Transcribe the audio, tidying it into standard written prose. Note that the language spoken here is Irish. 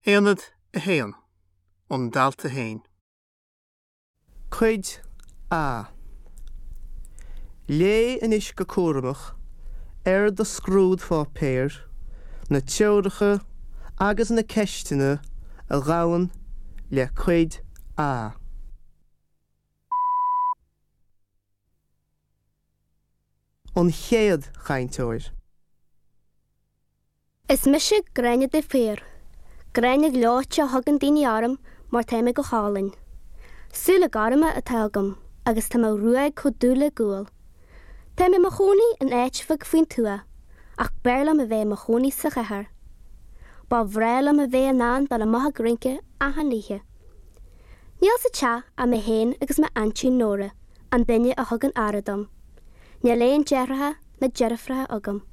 Aonad 1, An Dalta Féin. Cuid A. Léigh anois go cúramach ar do scrúdpháipéar na treoracha agus na ceisteanna a ghabhann le Cuid A. An chéad chainteoir. Is mise Gráinne de Paor. Gráinne Ghleoite a thugann daoine orm mar tá mé go hálainn. Súile gorma atá agam agus tá mo ghruaig chomh dubh le gual. Tá mé i mo chónaí in áit bheag faoin tuath, ach b'fhearr liom a bheith i mo chónaí sa chathair. Ba bhreá liom a bheith in ann dul amach ag rince achan oíche. Níl sa teach ach mé féin agus m'aintín Nóra, an duine a thugann aire dom. Níl aon deartháireacha ná deirfiúracha agam.